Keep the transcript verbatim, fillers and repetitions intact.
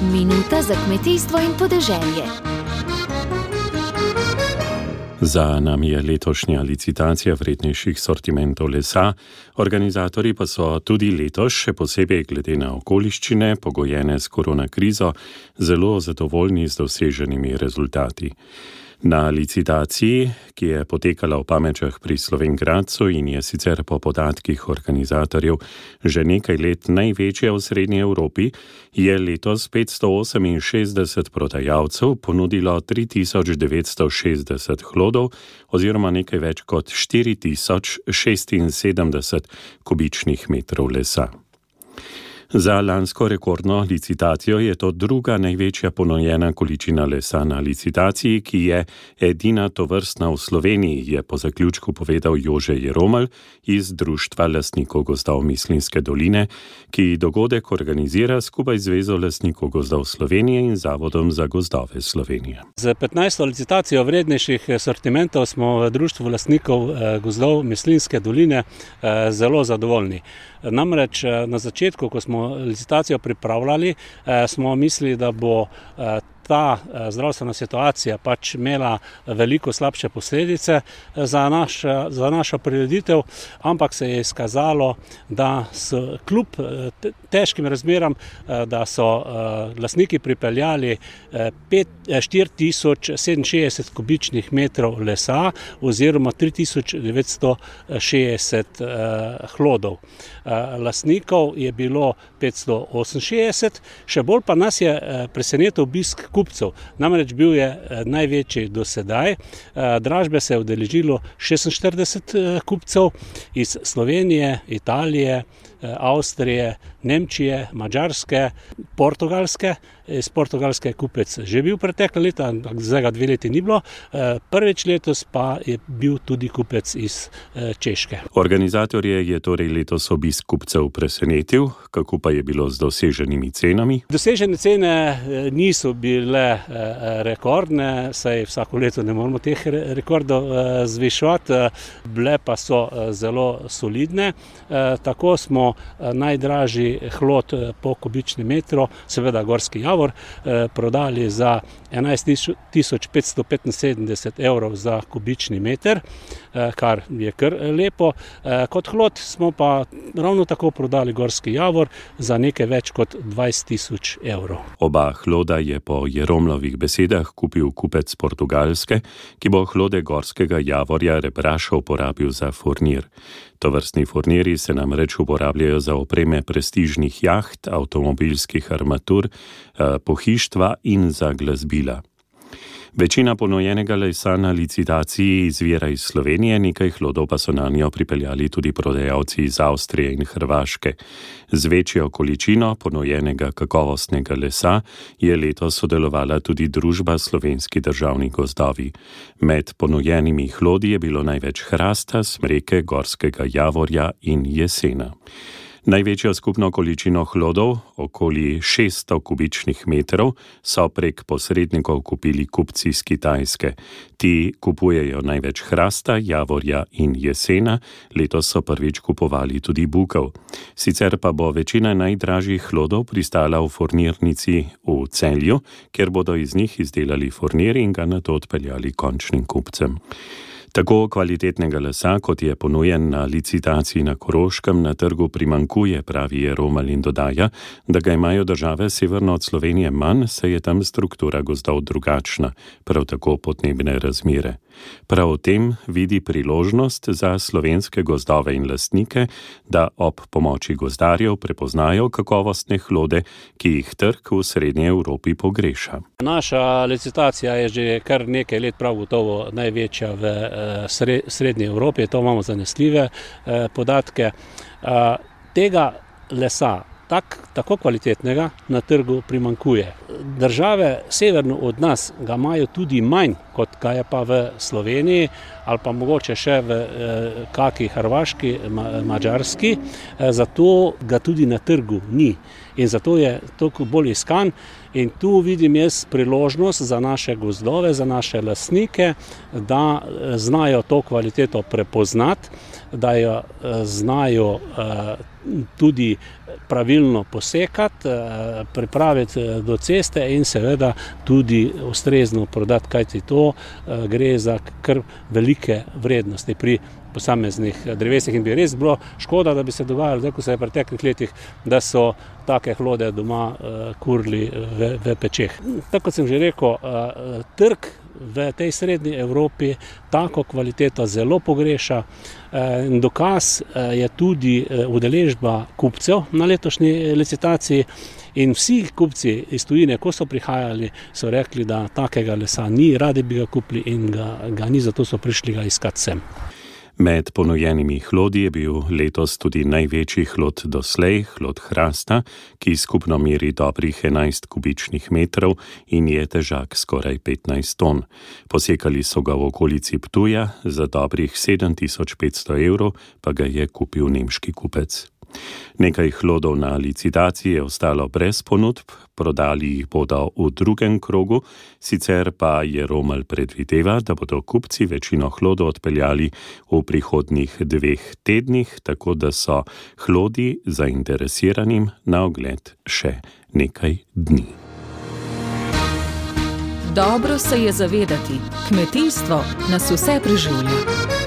Minuta za kmetijstvo in podeželje. Za nami je letošnja licitacija vrednejših sortimentov lesa, organizatorji pa so tudi letos, še posebej glede na okoliščine, pogojene s koronakrizo, zelo zadovoljni z doseženimi rezultati. Na licitaciji, ki je potekala v Pamečah pri Slovenj Gradcu in je sicer po podatkih organizatorjev že nekaj let največja v Srednji Evropi, je letos petsto oseminšestdeset prodajalcev ponudilo tri tisoč devetsto šestdeset hlodov oziroma nekaj več kot štiri tisoč šestinsedemdeset kubičnih metrov lesa. Za lansko rekordno licitacijo je to druga največja ponujena količina lesa na licitaciji, ki je edina tovrstna v Sloveniji, je po zaključku povedal Jože Jeromelj iz Društva lastnikov gozdov Mislinjske doline, ki dogodek organizira skupaj z Zvezo lastnikov gozdov Slovenije in Zavodom za gozdove Slovenije. Z petnajsto licitacijo vrednejših sortimentov smo v Društvu lastnikov gozdov Mislinjske doline zelo zadovoljni. Namreč na začetku, ko smo licitacijo pripravljali, smo mislili, da bo ta zdravstvena situacija pač imela veliko slabše posledice za, naš, za našo prireditev, ampak se je izkazalo, da so kljub težkim razmeram, da so lastniki pripeljali štiri tisoč sedeminšestdeset kubičnih metrov lesa oziroma tri tisoč devetsto šestdeset hlodov. Lastnikov je bilo petsto oseminšestdeset, še bolj pa nas je presenetil obisk kupcev. Namreč bil je največji do sedaj. Dražbe se je udeležilo šestinštirideset kupcev iz Slovenije, Italije, Avstrije, Nemčije, Madžarske, Portugalske. Iz Portugalske je kupec že bil pretekle leta, ampak zdaj ga dve leti ni bilo. Prvič letos pa je bil tudi kupec iz Češke. Organizatorje je torej letos obisk kupcev presenetil. Kako pa je bilo z doseženimi cenami? Dosežene cene niso bile rekordne, saj vsako leto ne moramo teh rekordov zviševati, bile pa so zelo solidne. Tako smo najdražji hlod po kubičnem metru, seveda gorski javor, prodali za enajst tisoč petsto petinsedemdeset evrov za kubični meter, kar je kar lepo. Kot hlod smo pa ravno tako prodali gorski javor za nekaj več kot dvajset tisoč evrov. Oba hloda je po Jeromlovih besedah kupil kupec Portugalske, ki bo hlode gorskega javorja rebraša uporabil za furnir. Tovrstni furniri se namreč uporabljajo za opreme prestižnih jaht, avtomobilskih armatur, pohištva in za glasbila. Večina ponujenega lesa na licitaciji izvira iz Slovenije, nekaj hlodov pa so nanjo pripeljali tudi prodajalci iz Avstrije in Hrvaške. Z večjo količino ponujenega kakovostnega lesa je letos sodelovala tudi družba Slovenski državni gozdovi. Med ponujenimi hlodi je bilo največ hrasta, smreke, gorskega javorja in jesena. Največjo skupno količino hlodov, okoli šeststo kubičnih metrov, so prek posrednikov kupili kupci iz Kitajske. Ti kupujejo največ hrasta, javorja in jesena, letos so prvič kupovali tudi bukov. Sicer pa bo večina najdražjih hlodov pristala v furnirnici v Celju, kjer bodo iz njih izdelali furnir in ga nato odpeljali končnim kupcem. Tako kvalitetnega lesa, kot je ponujen na licitaciji na Koroškem, na trgu primanjkuje, pravi Jeromelj in dodaja, da ga imajo države severno od Slovenije manj, saj je tam struktura gozdov drugačna, prav tako podnebne razmere. Prav v tem vidi priložnost za slovenske gozdove in lastnike, da ob pomoči gozdarjev prepoznajo kakovostne hlode, ki jih trg v Srednji Evropi pogreša. Naša licitacija je že kar nekaj let prav gotovo največja v Srednji Evropi, to imamo zanesljive podatke. Tega lesa, tak, tako kvalitetnega, na trgu primanjkuje. Države severno od nas ga imajo tudi manj, kot ga je pa v Sloveniji, ali pa mogoče še v eh, kaki Hrvaški, ma, Madžarski, eh, zato ga tudi na trgu ni. In zato je toliko bolj iskan. In tu vidim jaz priložnost za naše gozdove, za naše lastnike, da znajo to kvaliteto prepoznati, da jo znajo tudi pravilno posekati, pripraviti do ceste in seveda tudi ustrezno prodati, kajti to gre za kar velike vrednosti pri posameznih drevesih in bi res bilo škoda, da bi se dogajalo, tako se je v preteklih letih, da so take hlode doma kurili v, v pečeh. Tako kot sem že rekel, trg v tej srednji Evropi tako kvaliteto zelo pogreša. Dokaz je tudi udeležba kupcev na letošnji licitaciji in vsi kupci iz tujine, ko so prihajali, so rekli, da takega lesa ni, radi bi ga kupili in ga, ga ni, zato so prišli ga iskati sem. Med ponujenimi hlodi je bil letos tudi največji hlod doslej, hlod hrasta, ki skupno meri dobrih enajst kubičnih metrov in je težak skoraj petnajst ton. Posekali so ga v okolici Ptuja, za dobrih sedem tisoč petsto evrov pa ga je kupil nemški kupec. Nekaj hlodov na licitaciji je ostalo brez ponudb, prodali jih bodo v drugem krogu, sicer pa Jeromelj predvideva, da bodo kupci večino hlodov odpeljali v prihodnjih dveh tednih, tako da so hlodi zainteresiranim na ogled še nekaj dni. Dobro se je zavedati, kmetijstvo nas vse preživlja.